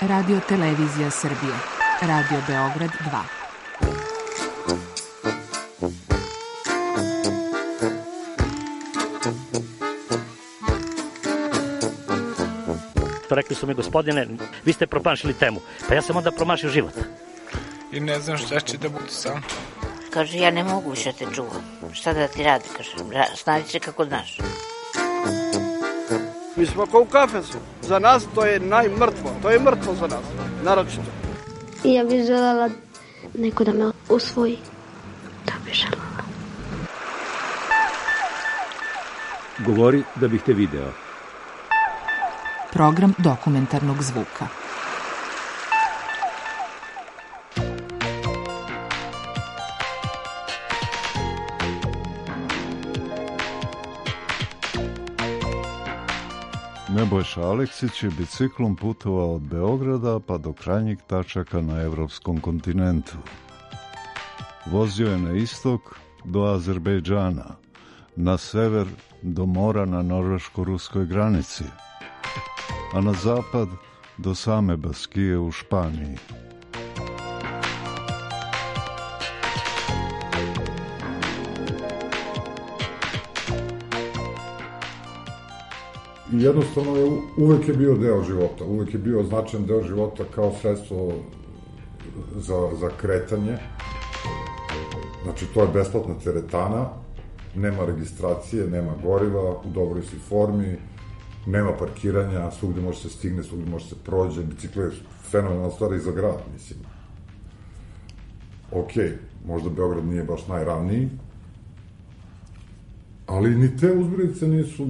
Radio Televizija Srbije. Radio Beograd 2. Rekli su mi, gospodine, vi ste promašili temu. Pa ja sam onda promašio život. I ne znam šta će da bude sam. Kaže, ja ne mogu više te čuvam. Šta da ti radi, kaže, snađi se kako znaš. Mi smo kao u kafesu. Za nas to je najmrtvo. To je mrtvo za nas, naročito. Ja bih želela neko da me usvoji. To bih želela. Govori da bih te video. Program dokumentarnog zvuka. Nebojša Aleksić je biciklom putovao od Beograda pa do krajnjih tačaka na evropskom kontinentu. Vozio je na istok do Azerbejdžana, na sever do mora na norveško-ruskoj granici, a na zapad do same Baskije u Španiji. I jednostavno uvek je bio deo života, uvek je bio značajan deo života kao sredstvo za kretanje. Znači, to je besplatna teretana, nema registracije, nema goriva, u dobroj si formi, nema parkiranja, svugde može se stigne, svugde može se prođe, bicikl je fenomenalna stvar i za grad, mislim. Okej, možda Beograd nije baš najravniji, ali ni te uzbrdice nisu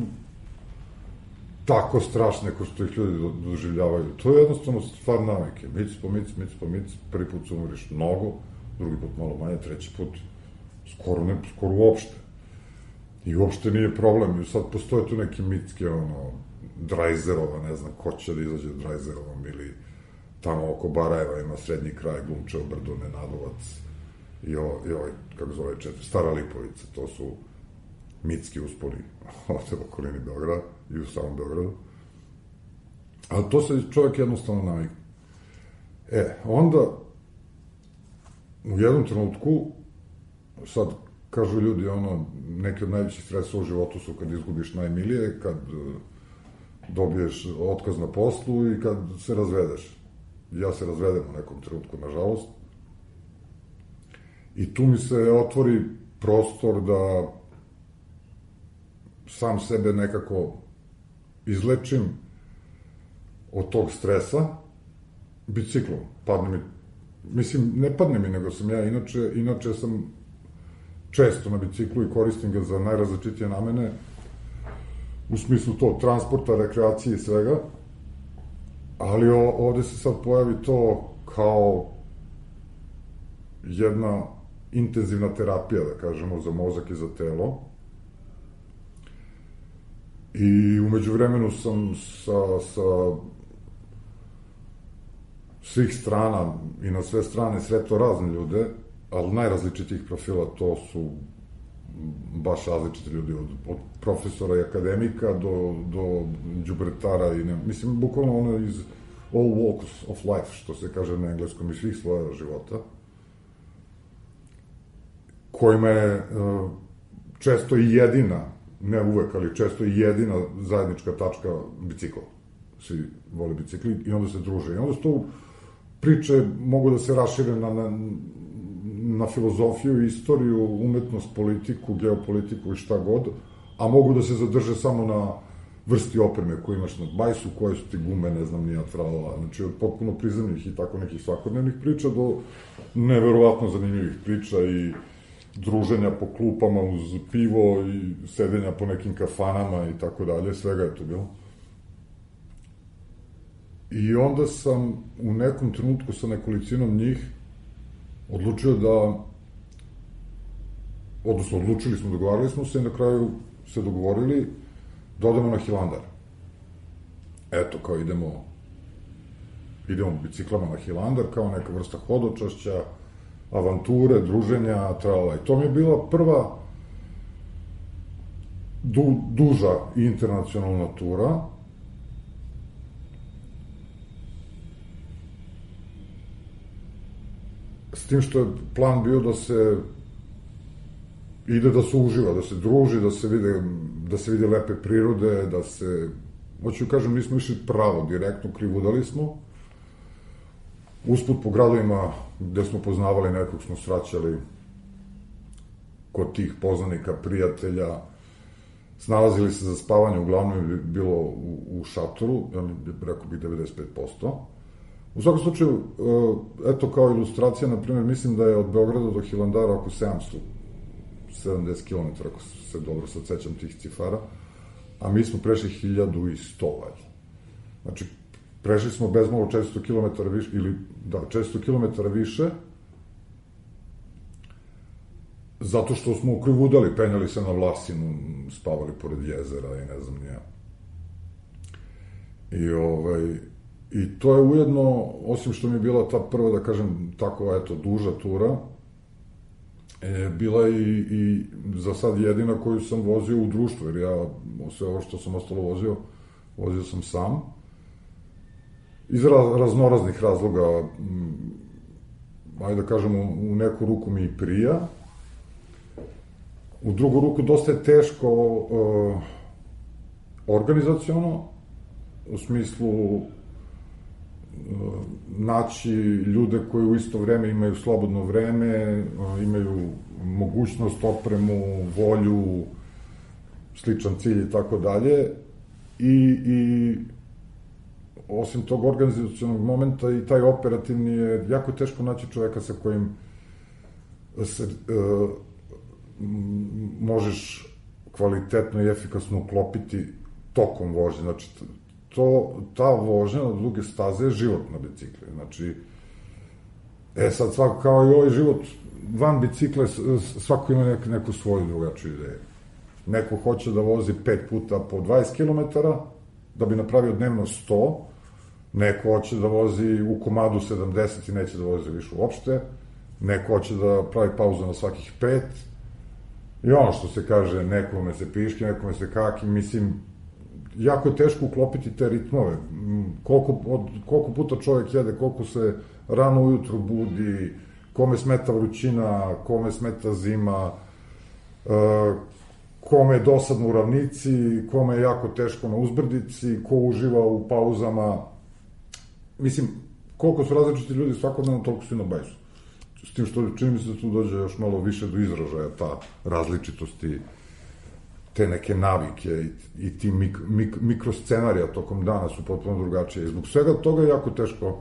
tako strašne ko što ih ljudi doživljavaju. To je jednostavno stvar navike. Mic po mic, prvi put se umiriš mnogo, drugi put malo manje, treći put skoro uopšte. I uopšte nije problem. I sad postoje tu neki mitske, Drajzerova, ne znam ko će da izađe Drajzerovom, ili tamo oko Barajeva ima srednji kraj, Glumčevo brdo, Nenadovac i ovaj, kako zove Stara Lipovica. To su mitski usponi ovde u okolini Beograda i u samom Beogradu. Ali to se čovjek jednostavno navikne. Onda u jednom trenutku, sad kažu ljudi, neki od najvećih stresova u životu su kad izgubiš najmilije, kad dobiješ otkaz na poslu i kad se razvedeš. Ja se razvedem u nekom trenutku, nažalost. I tu mi se otvori prostor da sam sebe nekako izlečim od tog stresa biciklom. Ne padne mi, nego sam ja, inače sam često na biciklu i koristim ga za najrazličitije namene, u smislu to, transporta, rekreacije i svega, ali ovde se sad pojavi to kao jedna intenzivna terapija, da kažemo, za mozak i za telo. I umeđu vremenu sam sa svih strana i na sve strane sretao razne ljude, ali najrazličitijih profila, to su baš različiti ljudi, od profesora i akademika do đubretara i mislim, bukvalno ono iz all walks of life, što se kaže na engleskom, iz svih svoja života, kojima je često i jedina, ne uvek, ali često i jedina zajednička tačka bicikla. Svi vole bicikli i onda se druže. I onda su to priče mogu da se rašire na filozofiju, istoriju, umetnost, politiku, geopolitiku i šta god, a mogu da se zadrže samo na vrsti opreme koju imaš na bajsu, koje su ti gume, ne znam, nija tralala. Znači, od potpuno prizemnih i tako nekih svakodnevnih priča do neverovatno zanimljivih priča i druženja po klupama uz pivo i sedenja po nekim kafanama i tako dalje, svega je to bilo. I onda sam u nekom trenutku sa nekolicinom njih odlučio dogovarali smo se i na kraju se dogovorili da odemo na Hilandar. Eto, kao idemo biciklama na Hilandar, kao neka vrsta hodočašća, avanture, druženja, tralala. I to mi je bila prva duža internacionalna tura S tim što je plan bio da se ide da se uživa, da se druži, da se vide lepe prirode, da se, hoću kažem, nismo išli pravo, direktno krivudali smo. Usput po gradovima gde smo poznavali nekog smo sraćali kod tih poznanika, prijatelja, snalazili se za spavanje, uglavnom je bilo u šatoru, ja rekao bih 95%. U svakom slučaju, eto kao ilustracija, na primjer, mislim da je od Beograda do Hilandara oko 770 km, ako se dobro sad sećam tih cifara, a mi smo prešli 1100 valjda. Znači, prešli smo bez malo 400 km više, ili da, 400 km više, zato što smo ukrivudali, penjali se na Vlasinu, spavali pored jezera i ne znam nija. I to je ujedno, osim što mi je bila ta prva, da kažem, tako, eto, duža tura, bila i za sad jedina koju sam vozio u društvu, jer ja sve ovo što sam ostalo vozio sam sam. Iz raznoraznih razloga, ajde da kažem, u neku ruku mi i prija, u drugu ruku dosta je teško organizaciono, u smislu naći ljude koji u isto vreme imaju slobodno vreme, imaju mogućnost, opremu, volju, sličan cilj i tako dalje. I osim tog organizacionog momenta i taj operativni je jako teško naći čoveka sa kojim se možeš kvalitetno i efikasno uklopiti tokom vožnje. Znači, ta vožnja na duge staze je život na bicikli. Znači, sad svako, kao i ovaj život van bicikle, svako ima neku svoju drugačiju ideju. Neko hoće da vozi 5 puta po 20 km, da bi napravio dnevno 100, neko hoće da vozi u komadu 70 i neće da vozi više uopšte, neko hoće da pravi pauzu na svakih 5, i ono što se kaže, nekome se piški, nekome se kaki, mislim, jako je teško uklopiti te ritmove. Koliko puta čovjek jede, koliko se rano ujutru budi, kome smeta vrućina, kome smeta zima, kome je dosadno u ravnici, kome je jako teško na uzbrdici, ko uživa u pauzama. Mislim, koliko su različiti ljudi svakodnevno, toliko su i na bajsu. S tim što čini mi se da tu dođe još malo više do izražaja ta različitosti, te neke navike i ti mikroscenarija tokom dana su potpuno drugačije. I zbog svega toga je jako teško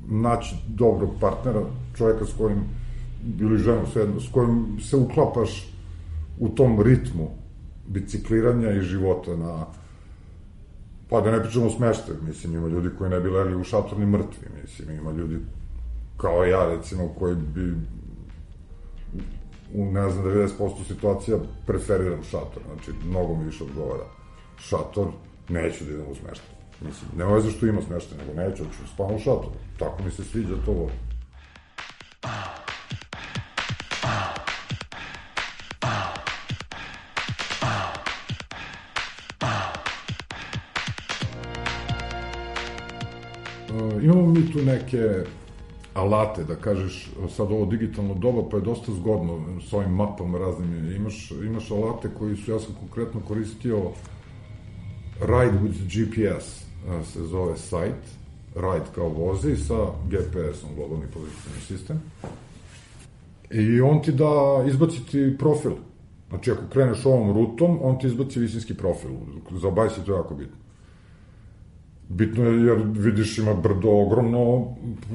naći dobrog partnera, čovjeka s kojim, ili ženu svejedno, s kojim se uklapaš u tom ritmu bicikliranja i života na, pa da ne pričamo o smeštaju, mislim, ima ljudi koji ne bi legli u šator ni mrtvi, mislim, ima ljudi kao ja, recimo, koji bi u, ne znam, 90% situacija preferiram šator, znači, mnogo mi više odgovara šator, neću da idem u smeštaj. Mislim, nema veze što ima smeštaj, nego neću, ću spavam u šatoru. Tako mi se sviđa to ovo. Imamo mi tu neke alate, da kažeš, sad ovo digitalno doba, pa je dosta zgodno s ovim mapama raznim. Imaš alate koji su, ja sam konkretno koristio Ride with GPS, se zove sajt, Ride kao vozi, sa GPS-om, globalni pozicijni sistem. I on ti da izbaciti profil. Znači, ako kreneš ovom rutom, on ti izbaci visinski profil. Za bajs je to jako bitno. Bitno je jer vidiš ima brdo ogromno,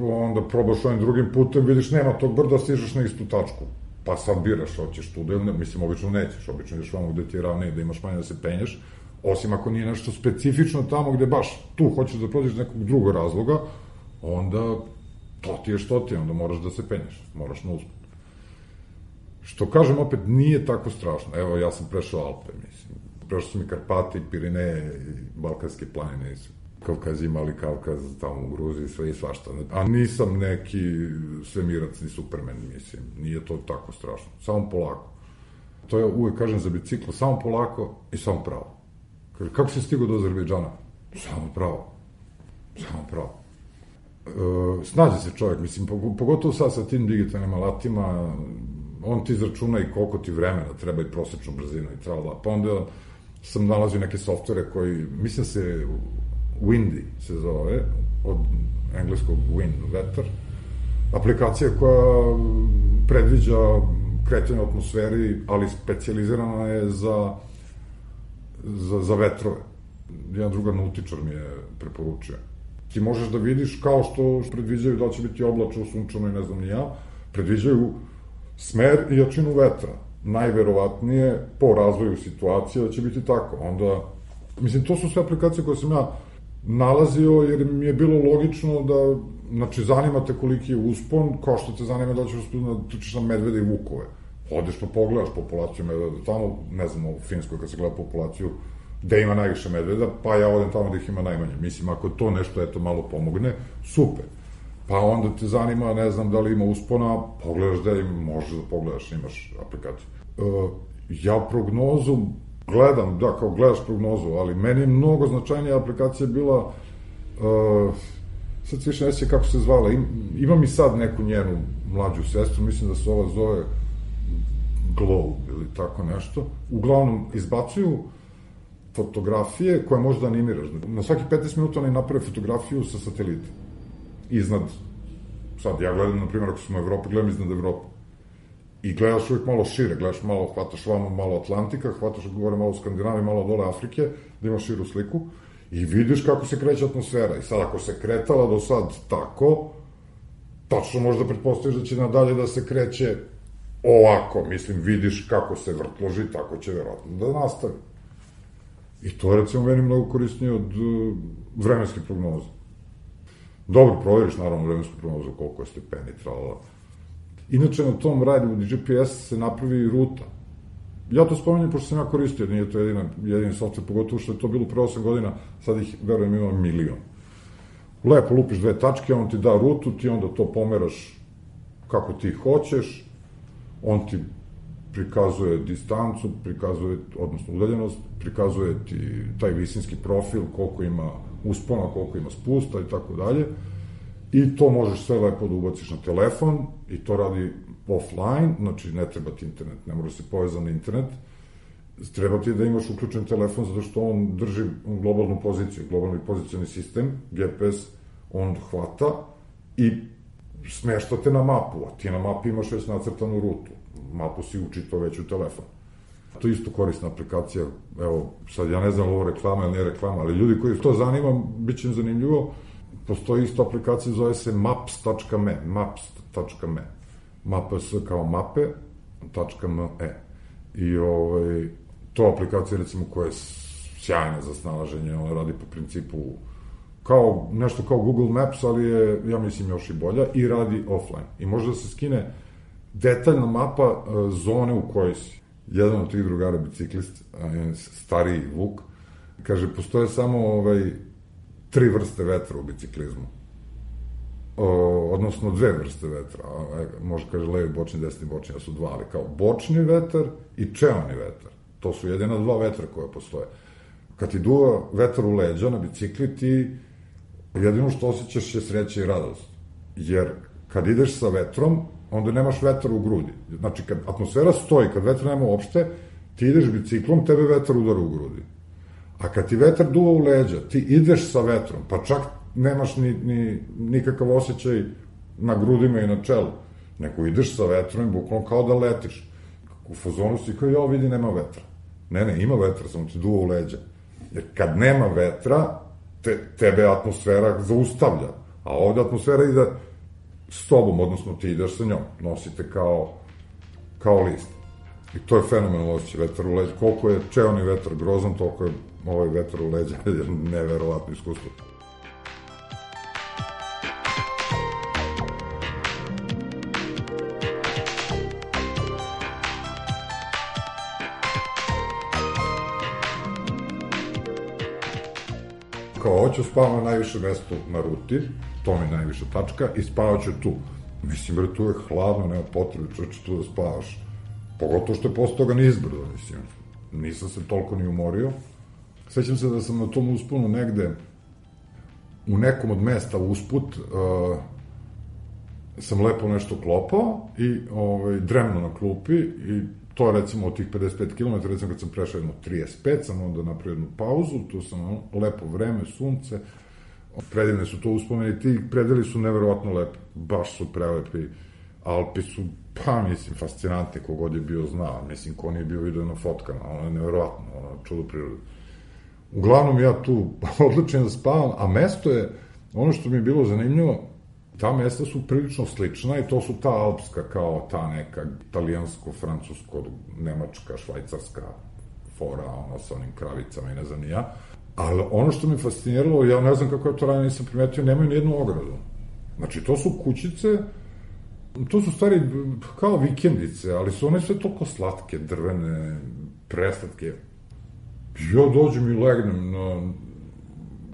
onda probaš ovim drugim putem, vidiš nema tog brda, stižeš na istu tačku. Pa sad biraš, hoćeš tu da ili ne, mislim, obično nećeš, obično ideš vamo gde ti je ravnije, da imaš manje da se penješ, osim ako nije nešto specifično tamo gde baš tu hoćeš da prođeš nekog drugog razloga, onda to ti je što ti, onda moraš da se penješ, moraš na usput. Što kažem, opet, nije tako strašno. Evo, ja sam prešao Alpe, mislim. Prešao sam i Karpate, i Pirineje, i Balkanske planine, Kavkaz imali Kavkaz tamo u Gruziji, sve i svašta. A nisam neki svemirac, ni supermen, mislim. Nije to tako strašno. Samo polako. To ja uvek kažem za biciklo, samo polako i samo pravo. Kaže, kako si stigao do Azerbejdžana? Samo pravo. Samo pravo. snađe se čovjek, mislim, pogotovo sad sa tim digitalnim alatima, on ti izračuna i koliko ti vremena treba i prosečnu brzinu i tralala. Pa onda sam nalazio neke softvere koji, mislim se Windy se zove, od engleskog wind, vetar, aplikacija koja predviđa kretanje u atmosferi, ali specijalizirana je za vetrove. Jedan drugar nautičar mi je preporučio. Ti možeš da vidiš kao što predviđaju da će biti oblačno, sunčano i ne znam ni ja, predviđaju smer i jačinu vetra. Najverovatnije po razvoju situacije da će biti tako. Onda, mislim, to su sve aplikacije koje sam ja nalazio jer mi je bilo logično da, znači, zanima te koliki je uspon, kao što te zanima da ćeš uspon da trčiš na medvede i vukove. Odeš pa pogledaš populaciju medveda tamo, ne znam, u Finskoj kad se gleda populaciju, gde ima najviše medveda, pa ja odem tamo da ih ima najmanje. Mislim, ako to nešto, eto, malo pomogne, super. Pa onda te zanima, ne znam, da li ima uspona, pogledaš da možeš da pogledaš, imaš aplikaciju. Ja prognozu gledam, da, kao gledaš prognozu, ali meni je mnogo značajnija aplikacija bila, sad se više ne sjeća kako se zvala, imam i sad neku njenu mlađu sestru, mislim da se ova zove Glow ili tako nešto. Uglavnom, izbacuju fotografije koje možda animiraš. Na svaki 15 minuta oni naprave fotografiju sa satelita. Iznad, sad ja gledam, na primjer, ako smo u Evropi, gledam iznad Evrope. I gledaš uvijek malo šire, gledaš malo, hvataš vamo malo Atlantika, hvataš gore malo Skandinavije, malo dole Afrike, da imaš širu sliku, i vidiš kako se kreće atmosfera. I sad, ako se kretala do sad tako, tačno možda pretpostaviš da će nadalje da se kreće ovako. Mislim, vidiš kako se vrtloži, tako će verovatno da nastavi. I to je, recimo, meni mnogo korisnije od vremenske prognoze. Dobro, provjeriš, naravno, vremensku prognozu, koliko je stepeni, tralala. Inače, na tom radiju GPS se napravi ruta. Ja to spominjem, pošto sam ja koristio, nije to jedini software, pogotovo što je to bilo pre 8 godina, sad ih, verujem, ima 1.000.000. Lepo lupiš 2 tačke, on ti da rutu, ti onda to pomeraš kako ti hoćeš, on ti prikazuje distancu, prikazuje, odnosno udaljenost, prikazuje ti taj visinski profil, koliko ima uspona, koliko ima spusta i tako dalje. I to možeš sve lepo da ubaciš na telefon i to radi offline, znači ne treba ti internet, ne mora se povezati na internet. Treba ti da imaš uključen telefon zato što on drži globalnu poziciju, globalni pozicijani sistem, GPS, on hvata i smešta te na mapu, a ti na mapi imaš već nacrtanu rutu. Mapu si učito već u telefon. To je isto korisna aplikacija, evo, sad ja ne znam ovo reklama ili nije reklama, ali ljudi koji to zanima, bit će im zanimljivo, postoji isto aplikacija, zove se maps.me, maps kao mape.me. I to aplikacija, recimo, koja je sjajna za snalaženje, ona radi po principu kao, nešto kao Google Maps, ali je, ja mislim, još i bolja, i radi offline. I može da se skine detaljna mapa zone u kojoj si. Jedan od tih drugara, biciklist, stariji Vuk, kaže, postoje samo 3 vrste vetra u biciklizmu. Odnosno 2 vrste vetra. Može, kaže, levi bočni, desni bočni, da su 2, ali kao bočni vetar i čeoni vetar. To su jedina 2 vetra koje postoje. Kad ti duva vetar u leđa na bicikli, ti jedino što osjećaš je sreća i radost. Jer kad ideš sa vetrom, onda nemaš vetar u grudi. Znači, kad atmosfera stoji, kad vetra nema uopšte, ti ideš biciklom, tebe vetar udara u grudi. A kad ti vetar duva u leđa, ti ideš sa vetrom, pa čak nemaš nikakav osjećaj na grudima i na čelu, nego ideš sa vetrom i bukvalno kao da letiš. U fazonu si kao, ja vidi, nema vetra. Ne, ima vetra, samo ti duva u leđa. Jer kad nema vetra, tebe atmosfera zaustavlja. A ovde atmosfera ide s tobom, odnosno ti ideš sa njom. Nosite kao list. I to je fenomenalno osjećaj, vetar u leđa. Koliko je čeoni vetar grozan, toliko je ovaj vetar u leđa, neverovatno iskustvo. Kao, hoću spavam na najviše mesto na ruti, to mi je najviša tačka, i spavat ću tu. Mislim, bre, tu je hladno, nema potrebe, čoveče, tu da spavaš. Pogotovo što je posle toga nizbrdo, mislim. Nisam se toliko ni umorio. Sećam se da sam na tom usponu negde u nekom od mesta usput sam lepo nešto klopao i dremno na klupi i to recimo od tih 55 km, recimo kad sam prešao jedno 35, sam onda napravio jednu pauzu, tu sam lepo vreme, sunce, predivne su to uspomeni, ti predeli su neverovatno lepi, baš su prelepi, Alpi su, pa mislim, fascinantni, kogod je bio znao, mislim, ko nije bio vidio na fotkama, ono je neverovatno, ono čudo prirode. Uglavnom ja tu odlučujem da spavam, a mesto je, ono što mi je bilo zanimljivo, ta mesta su prilično slična i to su ta alpska, kao ta neka italijansko, francusko, nemačka, švajcarska fora, ono sa onim kravicama i ne znam ni ja. Ali ono što me fasciniralo, ja ne znam kako ja to ranije nisam primetio, nemaju nijednu ogradu. Znači, to su kućice, to su stvari kao vikendice, ali su one sve toliko slatke, drvene, preslatke. Ja dođem i legnem na,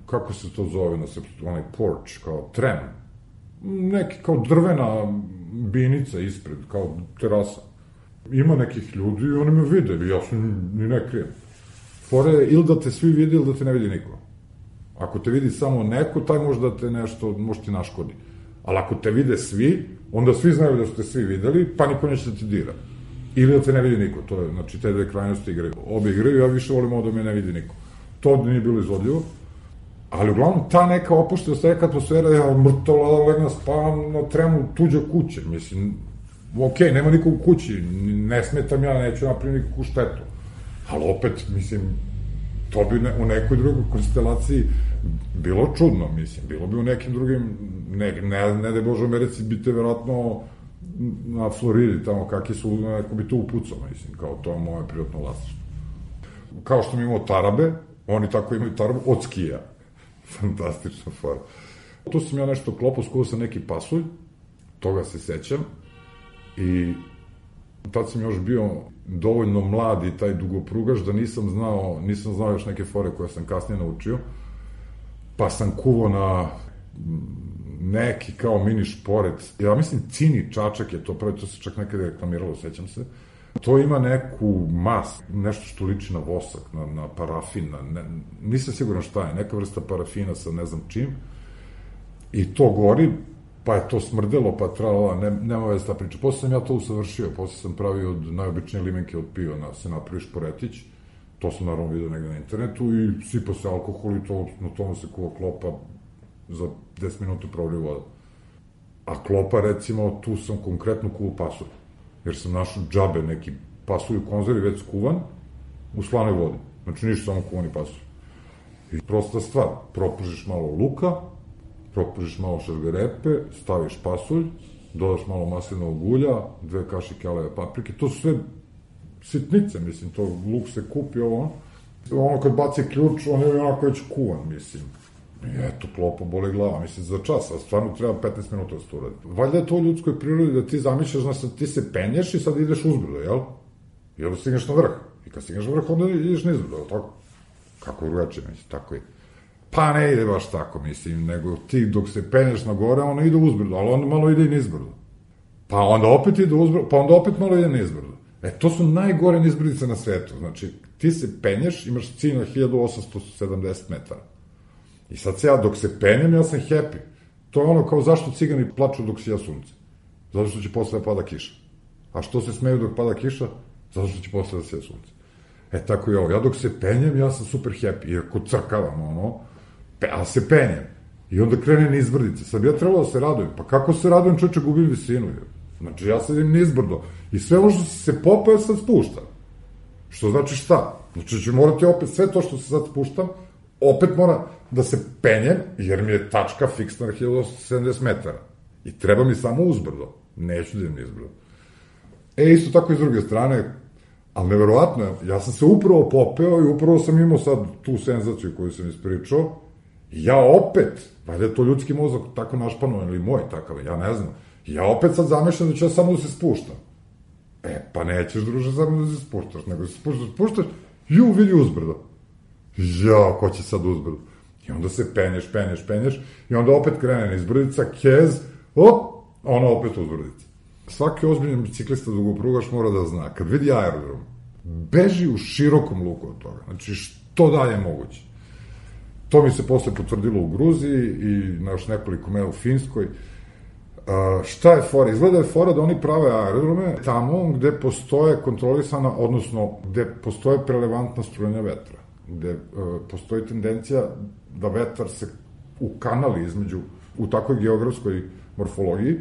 kako se to zove na srpsku, onaj porch, kao trem. Neki kao drvena binica ispred, kao terasa. Ima nekih ljudi i oni me vide, ja se ni ne krijem. Fore je ili da te svi vidi ili da te ne vidi niko. Ako te vidi samo neko, taj može da te nešto, može ti naškodi. Ali ako te vide svi, onda svi znaju da su te svi videli, pa niko neće da ti dira. Ili da te ne vidi niko, to je, znači, te dve krajnosti igraju. Obe igraju, ja više volim ovo da me ne vidi niko. To nije bilo izvodljivo. Ali uglavnom, ta neka opuštenost, neka atmosfera, ja mrtvo legna spavam na tremu tuđe kuće, mislim, okej, nema niko u kući, ne smetam ja, neću napraviti nikakvu štetu, ali opet, mislim, to bi u nekoj drugoj konstelaciji bilo čudno, mislim, bilo bi u nekim drugim, ne da je Bože u Americi, bite verovatno na Floridi, tamo kakvi su, neko bi to upucao, mislim, kao to je moje privatno vlasništvo. Kao što mi imamo tarabe, oni tako imaju tarabu od skija. Fantastična fora. Tu sam ja nešto klopao, skuvao sam neki pasulj, toga se sećam, i tad sam još bio dovoljno mlad i taj dugoprugaš da nisam znao još neke fore koje sam kasnije naučio, pa sam kuvao na neki kao mini šporet, ja mislim cini čačak je to pravi, to se čak nekada reklamiralo, sećam se. To ima neku mas, nešto što liči na vosak, na parafin, nisam siguran šta je, neka vrsta parafina sa ne znam čim, i to gori, pa je to smrdelo, pa trala, nema veze ta priča. Posle sam ja to usavršio, posle sam pravio od najobičnije limenke od piva, se napravi šporetić, to sam naravno vidio negde na internetu, i sipa se alkohol i to, na tomu se kuva klopa, za 10 minuta provri voda. A klopa, recimo, tu sam konkretno kuvao pasulj, jer sam našao džabe, neki pasulj u konzervi već skuvan, u slanoj vodi. Znači, ništa, samo kuvani pasulj. I prosta stvar, propržiš malo luka, propržiš malo šargarepe, staviš pasulj, dodaš malo maslinovog ulja, 2 kašike aleve paprike, to su sve sitnice, mislim, to luk se kupi, ono kad baci ključ, on je onako već kuvan, mislim. I eto, klopa, boli glava, mislim, za čas, a stvarno treba 15 minuta da se to uradi. Valjda je to u ljudskoj prirodi da ti zamišljaš, znači, ti se penješ i sad ideš uzbrdo, jel? I onda stigneš na vrh. I kad stigneš na vrh, onda ideš nizbrdo, jel tako? Kako drugačije, mislim, tako je. Pa ne ide baš tako, mislim, nego ti dok se penješ na gore, ono ide uzbrdo, ali onda malo ide i nizbrdo. Pa onda opet ide uzbrdo, pa onda opet malo ide nizbrdo. To su najgore nizbrdice na svetu, znači, ti se penješ, imaš cilj na 1870 metara. I sad se ja, dok se penjem, ja sam happy. To je ono kao zašto cigani plaču dok sija sunce. Zato što će posle da pada kiša. A što se smeju dok pada kiša? Zato što će posle da sija sunce. Tako je ovo. Ja dok se penjem, ja sam super happy. Iako crkavam, ali se penjem. I onda krene nizbrdice. Sad bi ja trebalo da se radujem. Pa kako se radujem, čoče, gubim visinu. Znači, ja sad idem nizbrdo. I sve ovo što se popao, sad spuštam. Što znači šta? Znači, ću morati opet sve to što se sad spuštam, opet mora da se penjem, jer mi je tačka fiksna na 1870 metara. I treba mi samo uzbrdo. Neću da idem nizbrdo. Isto tako i s druge strane, ali neverovatno, ja sam se upravo popeo i upravo sam imao sad tu senzaciju koju sam ispričao, i ja opet, valjda je to ljudski mozak tako našpanovan ili moj takav, ja ne znam, ja opet sad zamišljam da ću ja samo da se spuštam. Pa nećeš, druže, samo da se spuštaš, nego se spuštaš, vidi uzbrdo. Ko će sad uzbrdo? I onda se penješ, i onda opet krene nizbrdica, kez, ona opet uzbrdica. Svaki ozbiljan biciklista dugoprugaš mora da zna, kad vidi aerodrom, beži u širokom luku od toga, znači što dalje moguće. To mi se posle potvrdilo u Gruziji i na još nekoliko mesta u Finskoj. Šta je fora? Izgleda je fora da oni prave aerodrome tamo gde postoje kontrolisana, odnosno gde postoje prelevantna strujanja vetra, gde postoji tendencija da vetar se ukanali između, u takvoj geografskoj morfologiji,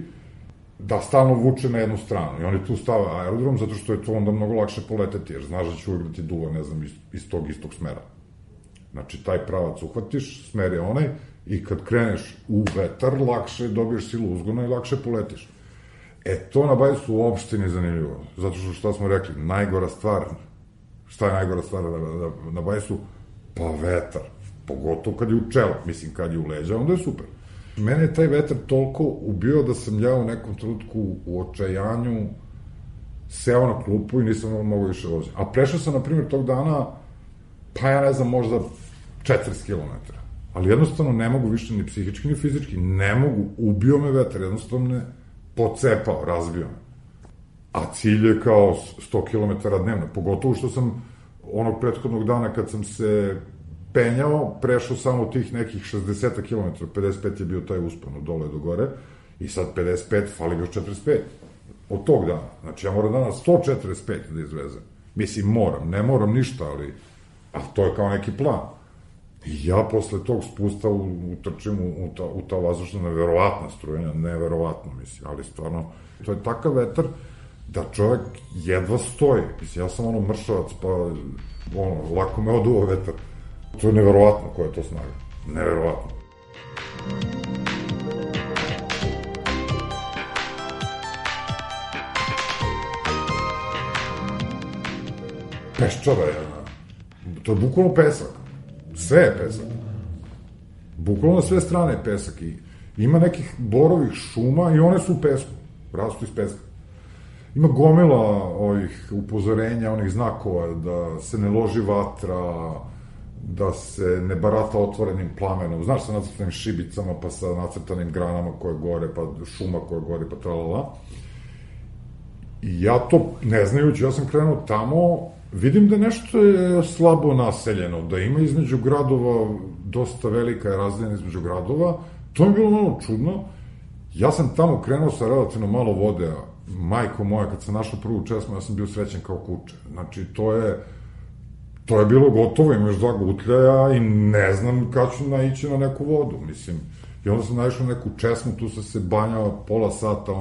da stalno vuče na jednu stranu. I oni tu stave aerodrom zato što je to onda mnogo lakše poleteti, jer znaš da će uvijek da ti duva, ne znam, iz tog istog smera. Znači, taj pravac uhvatiš, smer je onaj, i kad kreneš u vetar, lakše dobiješ silu uzgona i lakše poletiš. To na Bajsu uopšte nije zanimljivo. Zato što, šta smo rekli, najgora stvar, šta je najgora stvar na Bajsu? Pa vetar. Pogotovo kad je u čelo. Mislim, kad je u leđa, onda je super. Mene je taj vetar toliko ubio da sam ja u nekom trenutku u očajanju seo na klupu i nisam mogao više voziti. A prešao sam, na primjer, tog dana, pa ja ne znam, možda 40 km. Ali jednostavno ne mogu više ni psihički, ni fizički. Ne mogu, ubio me vetar, jednostavno me pocepao, razbio me. A cilj je kao 100 km dnevno. Pogotovo što sam onog prethodnog dana kad sam se penjao, prešao samo tih nekih 60 km, 55 je bio taj uspon od dole do gore, i sad 55, fali još 45. Od tog dana. Znači, ja moram danas 145 da izvezem. Mislim, moram, ne moram ništa, ali to je kao neki plan. I ja posle tog spusta utrčim u ta vazdušna neverovatna strujanja, neverovatno, mislim, ali stvarno, to je takav vetar da čovjek jedva stoji. Mislim, ja sam mršavac, pa lako me oduo vetar. To je neverovatno koja je to snaga. Neverovatno. Peščara je, to je bukvalno pesak. Sve je pesak. Bukvalno na sve strane je pesak. I ima nekih borovih šuma i one su u pesku. Rastu iz peska. Ima gomila ovih upozorenja, onih znakova da se ne loži vatra, da se ne barata otvorenim plamenom. Znaš, sa nacrtanim šibicama, pa sa nacrtanim granama koje gore, pa šuma koje gore, pa tralala. I ja to, ne znajući, ja sam krenuo tamo, vidim da nešto je slabo naseljeno, da ima između gradova, dosta velika je razdaljena između gradova. To mi je bilo malo čudno. Ja sam tamo krenuo sa relativno malo vode, majko moja, kad sam našao prvu česmu, ja sam bio srećen kao kuče. Znači, to je bilo gotovo, ima još 2 gutljaja i ne znam kad ću naići na neku vodu, mislim. I onda sam naišao na neku česmu, tu sam se banjao pola sata,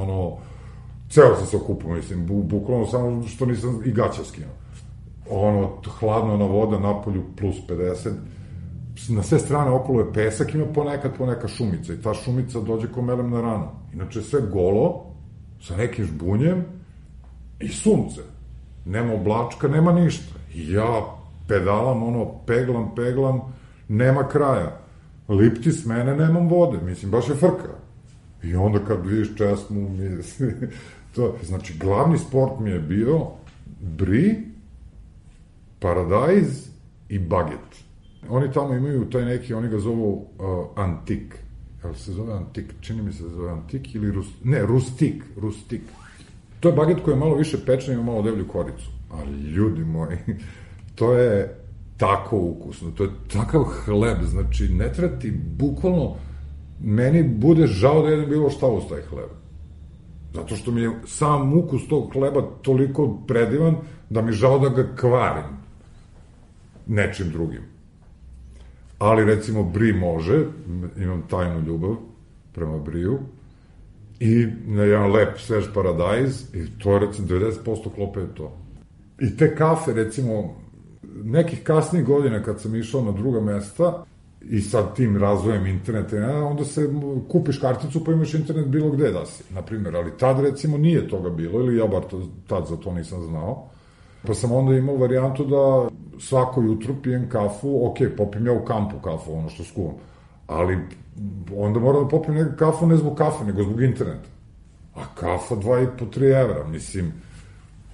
ceo sam se okupao, mislim, bukvalno samo što nisam i gaća skinuo. Hladno na voda, napolju plus 50, na sve strane okolo je pesak, ima poneka šumica i ta šumica dođe ko melem na ranu. Inače sve golo, sa nekim žbunjem i sunce. Nema oblačka, nema ništa. I ja pedalam, peglam, nema kraja. Lipti s mene, nemam vode, mislim, baš je frka. I onda kad vidiš česmu, znači, glavni sport mi je bio bri, paradajz i baget. Oni tamo imaju taj neki, oni ga zovu antik. Jel se zove antik? Čini mi se da zove antik ili rustik. To je baget koji je malo više pečen i ima malo devlju koricu. Ali ljudi moji, to je tako ukusno, to je takav hleb, znači ne treba ti, bukvalno, meni bude žao da jedem bilo šta uz taj hleb. Zato što mi je sam ukus tog hleba toliko predivan da mi žao da ga kvarim nečim drugim. Ali recimo bri može, imam tajnu ljubav prema briju, i na jedan lep svež paradajz, i to je recimo 90% klope je to. I te kafe, recimo, nekih kasnijih godina kad sam išao na druga mesta i sad tim razvojem interneta, onda se kupiš karticu pa imaš internet bilo gde da si, na primjer, ali tad recimo nije toga bilo, ili ja bar tad za to nisam znao, pa sam onda imao varijantu da svako jutro pijem kafu, ok, popijem ja u kampu kafu, ono što skuvam, ali onda moram da popijem neku kafu ne zbog kafe, nego zbog interneta. A kafa 2,5-3 evra, mislim,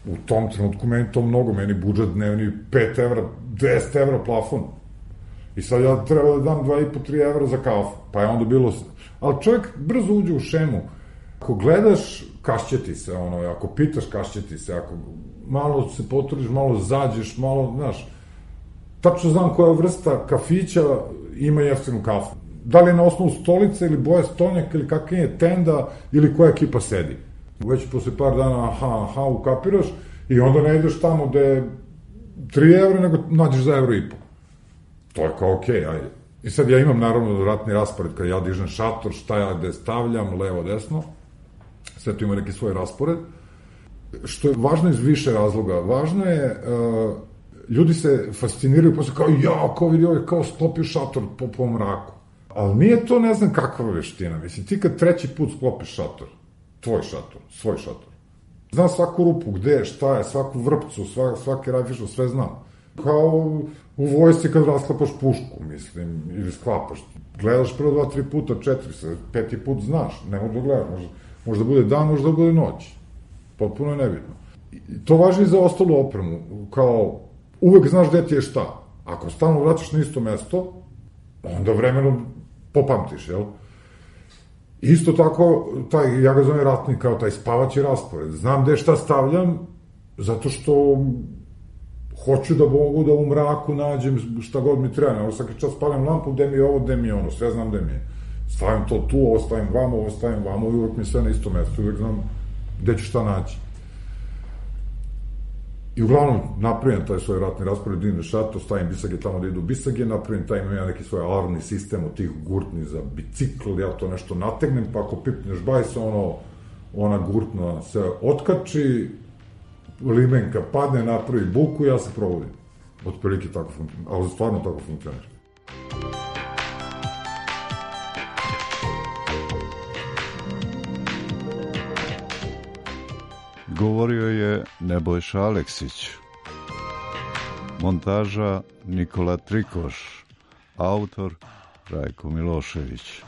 u tom trenutku meni to mnogo, meni budžet dnevni 5 evra, 10 evra plafon. I sad ja treba da dam 2,5-3 evra za kafu, pa je onda bilo... Ali čovjek brzo uđe u šemu. Ako gledaš, kašće ti se, ako pitaš, kašće ti se, ako malo se potrudiš, malo zađeš, malo, znaš, tačno znam koja vrsta kafića ima jeftinu kafu. Da li je na osnovu stolice ili boje stolnjaka ili kakva je tenda ili koja ekipa sedi. Već posle par dana ukapiraš i onda ne ideš tamo gde je 3 evra, nego nađeš za €1,5. To je kao okej, ajde. I sad ja imam naravno ratni raspored kada ja dižem šator, šta ja gde stavljam, levo, desno. Sve to ima neki svoj raspored. Što je važno iz više razloga. Važno je, ljudi se fasciniraju posle kao vidi ovaj, kao sklopio šator po mraku. Ali nije to ne znam kakva veština. Mislim, ti kad 3. put sklopiš šator, tvoj šator, svoj šator, znam svaku rupu, gde, šta je, svaku vrpcu, svaki rajfišo, sve znam. Kao u vojsci kad rasklapaš pušku, mislim, ili sklapaš. Gledaš prvo 2-3 puta, 4, 5. put znaš, ne mogu da gledaš. Možda bude dan, možda bude noć. Potpuno je nebitno. I to važi i za ostalu opremu. Kao, uvek znaš gde ti je šta. Ako stalno vraćaš na isto mesto, onda vremenom popamtiš, jel? Isto tako, ja ga zovem ratni, kao taj spavaći raspored. Znam gde šta stavljam, zato što hoću da mogu da u mraku nađem šta god mi treba. Evo svaki čas spalim lampu, gde mi je ovo, gde mi je ono, sve znam gde mi je. Stavim to tu, ovo stavim vamo, i uvek mi sve na isto mesto, uvek znam gde ću šta naći. I uglavnom, napravim taj svoj ratni raspored, idem šator, stavim bisage tamo da idu bisage, napravim taj, imam ja neki svoj alarmni sistem od tih gurtni za bicikl, ja to nešto nategnem, pa ako pipneš bajs, ona gurtna se otkači, limenka padne, napravi buku, ja se provodim. Otprilike tako funkcionira, ali stvarno tako funkcionira. Govorio je Nebojša Aleksić. Montaža Nikola Trikoš. Autor Rajko Milošević.